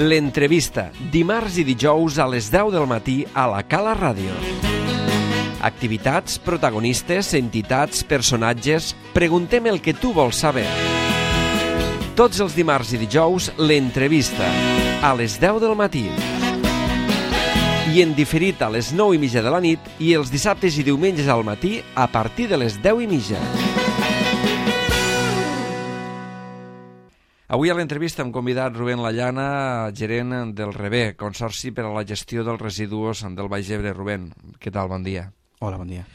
L'entrevista, dimarts i dijous a les 10 del matí a la Cala Ràdio. Activitats, protagonistes, entitats, personatges... Preguntem el que tu vols saber. Tots els dimarts i dijous, l'entrevista, a les 10 del matí. I en diferit a les 9:30 de la nit i els dissabtes i diumenges al matí a partir de les 10:30. Avui a l'entrevista hem convidat Rubén Llana, gerent del REBE, Consorci per a la Gestió dels Residus del Baix Ebre. Rubén, què tal? Bon dia. Hola, bon dia.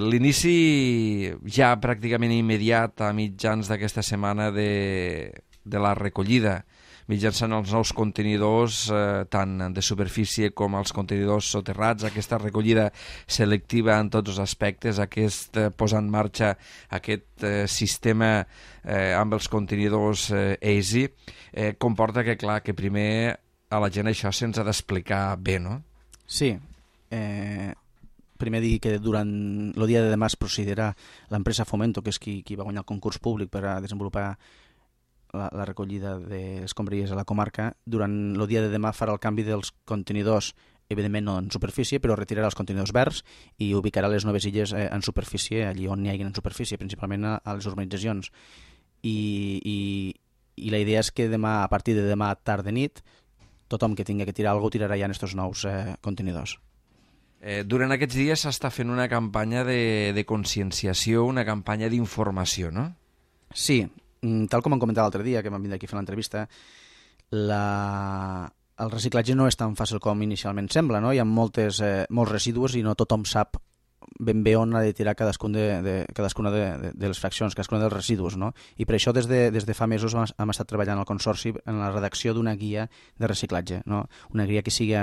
L'inici ja pràcticament immediat a mitjans d'aquesta setmana de la recollida, mitjançant els nous contenidors, tant de superfície com els contenidors soterrats, aquesta recollida selectiva en tots els aspectes, aquest posar en marxa aquest sistema amb els contenidors EASY, comporta que, clar, que primer a la gent això se'ns ha d'explicar bé, no? Sí. Primer dir que durant el dia de demà es procedirà l'empresa Fomento, que és qui va guanyar el concurs públic per a desenvolupar la recollida d'escombraries a la comarca. Durant el dia de demà farà el canvi dels contenidors, evidentment no en superfície, però retirarà els contenidors verds i ubicarà les noves illes en superfície, allí on n'hi hagi en superfície, principalment a les urbanitzacions. I la idea és que demà, a partir de demà tard de nit, tothom que tingui que tirar alguna cosa tirarà ja en aquests nous contenidors. Durant aquests dies s'està fent una campanya de conscienciació, una campanya d'informació, no? Sí. Tal com hem comentat l'altre dia, que vam vindre aquí a fer l'entrevista, el reciclatge no és tan fàcil com inicialment sembla, no? Hi ha molts residus i no tothom sap ben bé on ha de tirar cadascuna de les fraccions, cadascuna dels residus, no? I per això des de fa mesos hem estat treballant al Consorci en la redacció d'una guia de reciclatge, no? Una guia que sigui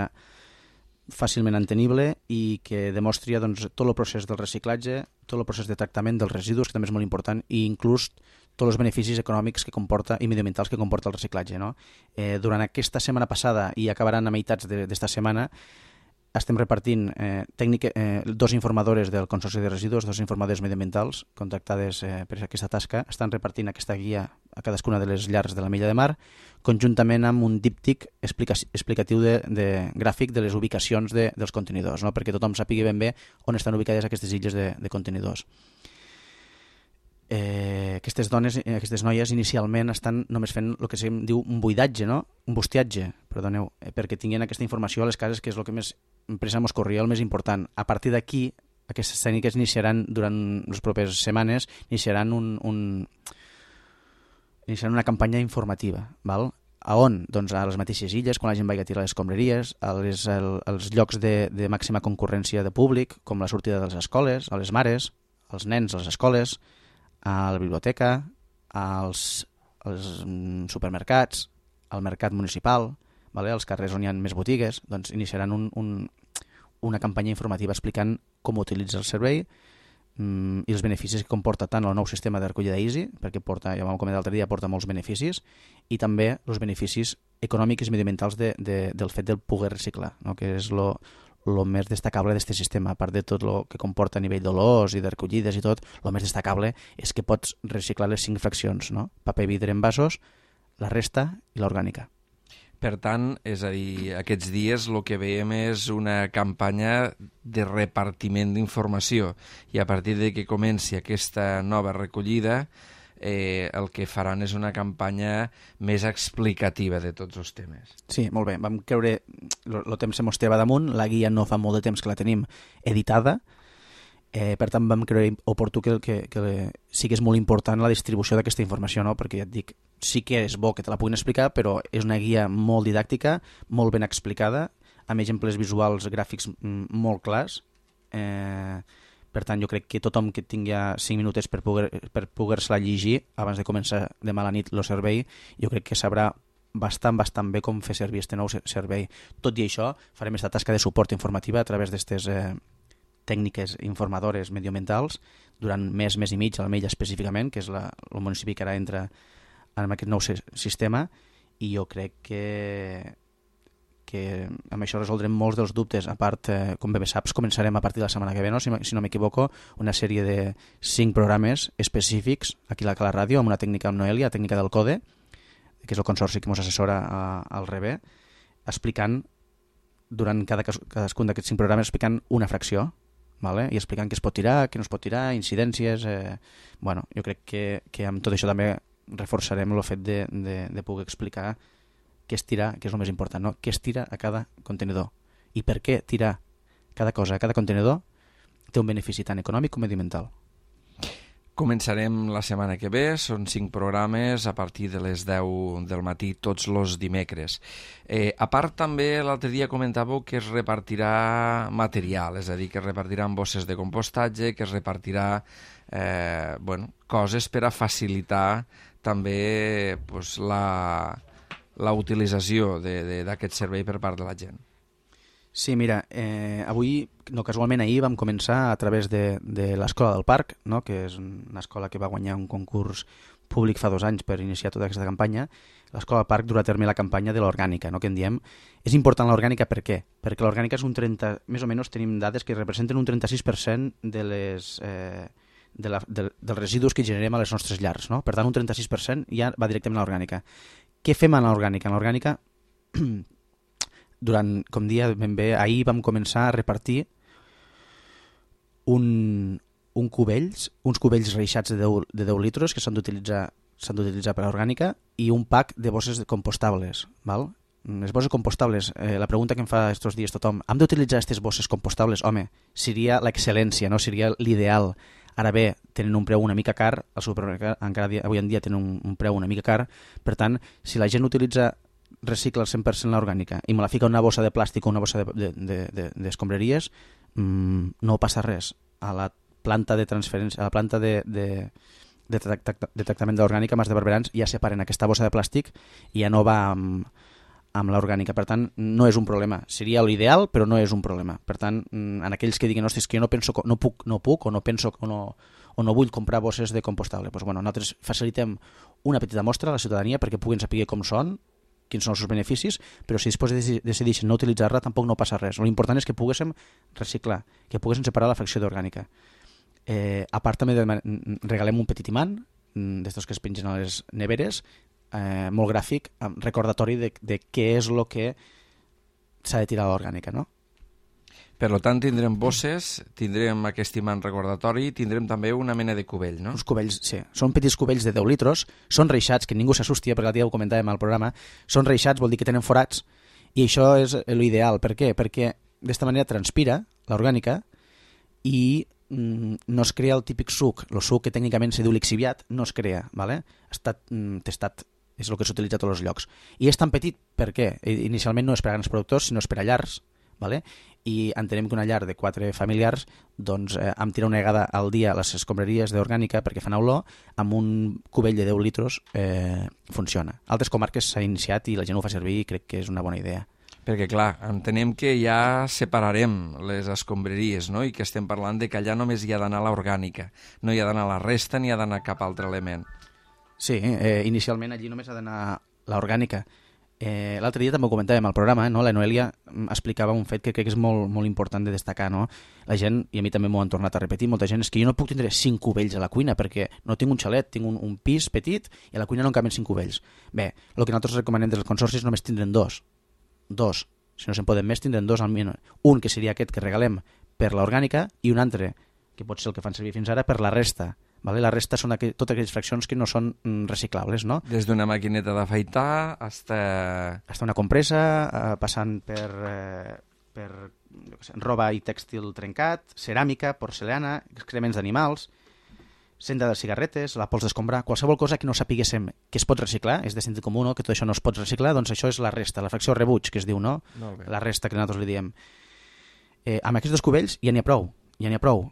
fàcilment entenible i que demostri tot el procés del reciclatge, tot el procés de tractament dels residus, que també és molt important, i inclús tots els beneficis econòmics que comporta i mediambientals que comporta el reciclatge, no? Durant aquesta setmana passada i acabaran a meitats d'esta setmana estem repartint dos informadores del Consorci de Residus, dos informadores mediambientals contractades per aquesta tasca, estan repartint aquesta guia a cadascuna de les llars de la Mella de Mar, conjuntament amb un díptic explicatiu de gràfic de les ubicacions dels contenidors, no? Perquè tothom sàpiga ben bé on estan ubicades aquestes illes de contenidors. Aquestes noies inicialment estan només fent el que se'n diu un buidatge, no? Un bustiatge, perdoneu, perquè tinguin aquesta informació a les cases, que és el que més empresa mos corria, el més important. A partir d'aquí, aquestes tècniques iniciaran durant les properes setmanes, iniciaran una campanya informativa, val? A on? Doncs a les mateixes illes, quan la gent vagi a tirar les escombraries, als llocs de màxima concurrència de públic, com la sortida de les escoles, a les mares, als nens a les escoles, a la biblioteca, als supermercats, al mercat municipal, als carrers on hi ha més botigues, doncs iniciaran una campanya informativa explicant com utilitzar el servei i els beneficis que comporta tant el nou sistema de recollida EASY, perquè porta, ja vam comentar l'altre dia, porta molts beneficis, i també els beneficis econòmics i mediambientals del fet de poder reciclar, no? Que és el més destacable d'aquest sistema. A part de tot el que comporta a nivell d'olors i de recollides i tot, el més destacable és que pots reciclar les 5 fraccions, no? Paper, vidre, envasos, la resta i l'orgànica. Per tant, és a dir, aquests dies el que veiem és una campanya de repartiment d'informació i a partir de que comenci aquesta nova recollida el que faran és una campanya més explicativa de tots els temes. Sí, molt bé. Vam creure, el temps se mos teva damunt, la guia no fa molt de temps que la tenim editada, per tant vam creure oportú que sí que és molt important la distribució d'aquesta informació, no? Perquè ja et dic, sí que és bo que te la puguin explicar, però és una guia molt didàctica, molt ben explicada, amb exemples visuals gràfics molt clars. Per tant, jo crec que tothom que tingui 5 minutets per poder-se-la llegir abans de començar demà a la nit el servei, jo crec que sabrà bastant bé com fer servir aquest nou servei. Tot i això, farem aquesta tasca de suport informativa a través d'aquestes tècniques informadores medioambientals durant mes i mig, a la Mella específicament, que és el municipi que ara entra en aquest nou sistema, i jo crec que amb això resoldrem molts dels dubtes. A part, com bé saps, començarem a partir de la setmana que ve, no? Si no m'equivoco, una sèrie de 5 programes específics aquí a la Cala Ràdio, amb una tècnica amb Noelia, la tècnica del CODE, que és el consorci que ens assessora al RB, explicant durant cadascun d'aquests 5 programes explicant una fracció, vale? I explicant què es pot tirar, què no es pot tirar, incidències... Bueno, jo crec que amb tot això també reforçarem el fet de poder explicar què es tira, que és el més important, no? Què es tira a cada contenidor i per què tirar cada cosa a cada contenidor té un benefici tant econòmic com mediambiental. Començarem la setmana que ve, són 5 programes a partir de les 10 del matí tots els dimecres. A part també l'altre dia comentàveu que es repartirà material, és a dir, que es repartiran bosses de compostatge, que es repartirà coses per a facilitar també la utilització d'aquest servei per part de la gent. Sí, mira, avui, no casualment ahir, vam començar a través de l'Escola del Parc, no? Que és una escola que va guanyar un concurs públic fa 2 anys per iniciar tota aquesta campanya. L'Escola del Parc durà a terme la campanya de l'orgànica, no? Que en diem. És important l'orgànica per què? Perquè l'orgànica és un 30... Més o menys tenim dades que representen un 36% dels residus que generem a les nostres llars, no? Per tant, un 36% ja va directament a l'orgànica. Què fem a l'orgànica? En l'orgànica... com dia ben bé, ahir vam començar a repartir uns cubells reixats de 10 litres que s'han d'utilitzar per a orgànica i un pack de bosses compostables. Val? Les bosses compostables, la pregunta que em fa estos dies tothom, hem d'utilitzar aquestes bosses compostables? Home, seria l'excel·lència, no? Seria l'ideal. Ara bé, tenen un preu una mica car, al supermercat encara avui en dia tenen un preu una mica car, per tant, si la gent recicla el 100% l'orgànica i me la fica una bossa de plàstic o una bossa d'escombraries, no passa res. A la planta de transferència, a la planta de tractament de l'orgànica Mas de Barberans ja separen aquesta bossa de plàstic i ja no va amb l'orgànica. Per tant, no és un problema. Seria l'ideal, però no és un problema. Per tant, en aquells que diguen, ostres, que jo no puc o no penso o no vull comprar bosses de compostable, doncs, nosaltres facilitem una petita mostra a la ciutadania perquè puguin saber com són, quins són els seus beneficis, però si després decideixen no utilitzar-la tampoc no passa res. L'important és que poguéssim reciclar, que poguéssim separar la fracció d'orgànica. A part també regalem un petit imant, d'estos que es pengen a les neveres, molt gràfic, recordatori de què és el que s'ha de tirar a l'orgànica, no? Per tant, tindrem bosses, tindrem aquest imant recordatori, tindrem també una mena de cubell, no? Uns cubells, sí. Són petits cubells de 10 litres, són reixats, que ningú s'assustia, perquè l'altre dia ho comentàvem al programa, són reixats, vol dir que tenen forats, i això és l'ideal. Per què? Perquè d'esta manera transpira l'orgànica i no es crea el típic suc. El suc que tècnicament se diu lixiviat no es crea, ¿vale? Ha estat testat, és el que s'utilitza a tots els llocs. I és tan petit, per què? Inicialment no és per a grans productors, sinó és per a llars, ¿vale? I entenem que una llar de 4 familiars doncs amb tirar una vegada al dia a les escombraries d'orgànica perquè fan olor, amb un cubell de 10 litres funciona. A altres comarques s'ha iniciat i la gent ho fa servir i crec que és una bona idea. Perquè, clar, entenem que ja separarem les escombraries, no? I que estem parlant de que allà només hi ha d'anar l'orgànica, no hi ha d'anar la resta ni hi ha d'anar cap altre element. Sí, inicialment allí només ha d'anar l'orgànica. L'altre dia també ho comentàvem al programa, no? La Noelia explicava un fet que crec que és molt, molt important de destacar, no? La gent, i a mi també m'ho han tornat a repetir, molta gent, és que jo no puc tindre 5 cubells a la cuina perquè no tinc un xalet, tinc un pis petit i a la cuina no en caben 5 cubells. Bé, el que nosaltres recomanem dels consorcis només tindrem dos. Si no se'n poden més, tindrem 2 almenys. Un que seria aquest que regalem per l'orgànica i un altre, que pot ser el que fan servir fins ara, per la resta. Vale? La resta són totes aquelles fraccions que no són reciclables, no? Des d'una maquineta d'afaitar hasta una compressa, passant per roba i tèxtil trencat, ceràmica, porcelana, excrements d'animals, cenda de cigarretes, la pols d'escombrar, qualsevol cosa que no sapiguéssim que es pot reciclar, és de sentit comú, no? Que tot això no es pot reciclar, doncs això és la resta, la fracció rebuig, que es diu, no? La resta que nosaltres li diem. Amb aquests 2 cubells ja n'hi ha prou,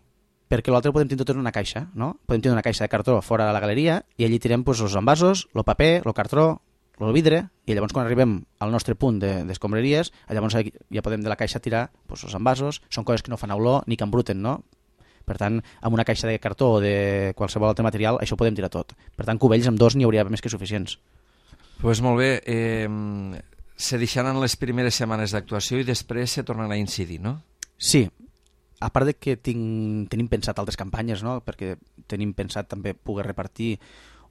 perquè l'altre ho podem tenir tot en una caixa, no? Podem tenir una caixa de cartró fora de la galeria i allí tirem doncs, els envasos, el paper, el cartró, el vidre, i llavors quan arribem al nostre punt d'escombraries, llavors ja podem de la caixa tirar doncs, els envasos, són coses que no fan olor ni que embruten, no? Per tant, amb una caixa de cartró o de qualsevol altre material, això ho podem tirar tot. Per tant, cubells amb 2 n'hi hauria més que suficients. Doncs molt bé, se deixaran les primeres setmanes d'actuació i després se tornarà a incidir, no? Sí, a part de que tenim pensat altres campanyes, no? Perquè tenim pensat també poder repartir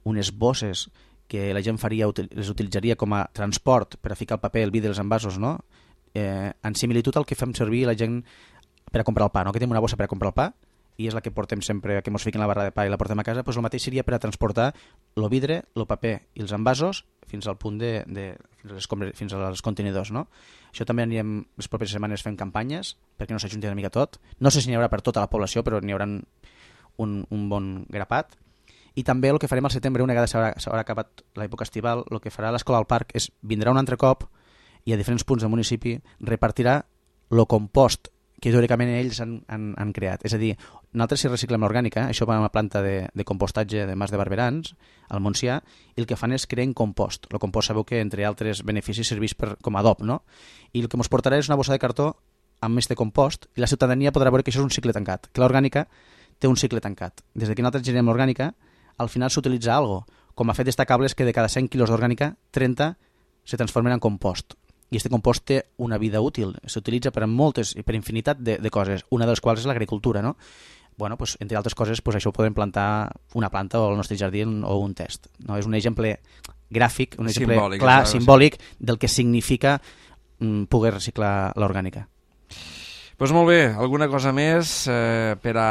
unes bosses que la gent les utilitzaria com a transport per a ficar el paper, el vidre, els envasos, no? En similitud al que fem servir la gent per a comprar el pa, no? Que tenim una bossa per a comprar el pa i és la que portem sempre, que ens fiquen la barra de pa i la portem a casa, doncs el mateix seria per a transportar el vidre, el paper i els envasos fins al punt fins als contenidors, no? Això també anirem les properes setmanes fent campanyes perquè no s'ajunti una mica tot. No sé si n'hi haurà per tota la població, però n'hi haurà un bon grapat. I també el que farem al setembre, una vegada s'haurà acabat l'època estival, el que farà l'Escola al Parc és vindrà un altre cop i a diferents punts del municipi repartirà el compost que teòricament ells han creat. És a dir, nosaltres si reciclem l'orgànica, això va a una planta de compostatge de Mas de Barberans, al Montsià, i el que fan és crear compost. El compost sabeu que, entre altres beneficis, serveix com a adob, no? I el que ens portarà és una bossa de cartó amb este compost i la ciutadania podrà veure que això és un cicle tancat, que l'orgànica té un cicle tancat. Des que nosaltres generem l'orgànica, al final s'utilitza algo. Com a fet destacable és que de cada 100 quilos d'orgànica, 30 se transformen en compost. I aquest compost té una vida útil, s'utilitza per a moltes i per infinitat de coses, una de les quals és l'agricultura, no? Bueno, pues, entre altres coses, pues, això ho podem plantar una planta o al nostre jardí o un test. No? És un exemple gràfic, un exemple simbòlic, clar, simbòlic del que significa poder reciclar l'orgànica. Doncs molt bé, alguna cosa més per a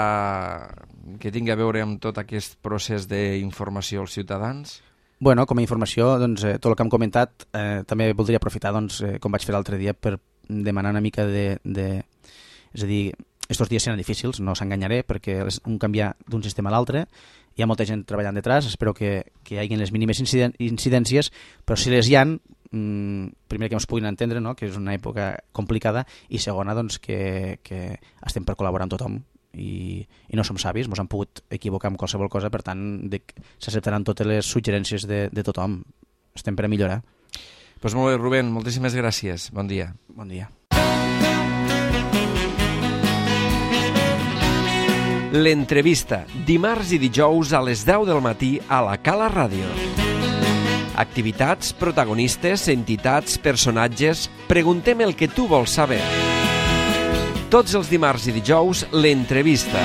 que tingui a veure amb tot aquest procés d'informació als ciutadans? Bueno, com a informació, doncs, tot el que hem comentat, també voldria aprofitar, doncs, com vaig fer l'altre dia, per demanar una mica És a dir, estos dies seran difícils, no s'enganyaré, perquè un canviar d'un sistema a l'altre, hi ha molta gent treballant detrás, espero que hi hagi les mínimes incidències, però si les hi ha, primer que ens puguin entendre, no? Que és una època complicada, i segona, doncs, que estem per col·laborar amb tothom, i no som savis, ens han pogut equivocar amb qualsevol cosa, per tant s'acceptaran totes les suggerències de tothom. Estem per a millorar. Doncs molt bé, Rubén, moltíssimes gràcies. Bon dia. Bon dia. L'entrevista, dimarts i dijous a les 10 del matí a la Cala Ràdio. Activitats, protagonistes, entitats, personatges... Preguntem el que tu vols saber. Tots els dimarts i dijous, l'entrevista,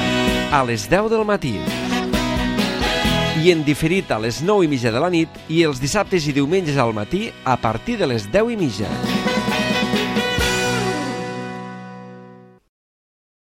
a les 10 del matí. I en diferit a les 9:30 de la nit i els dissabtes i diumenges al matí a partir de les 10:30.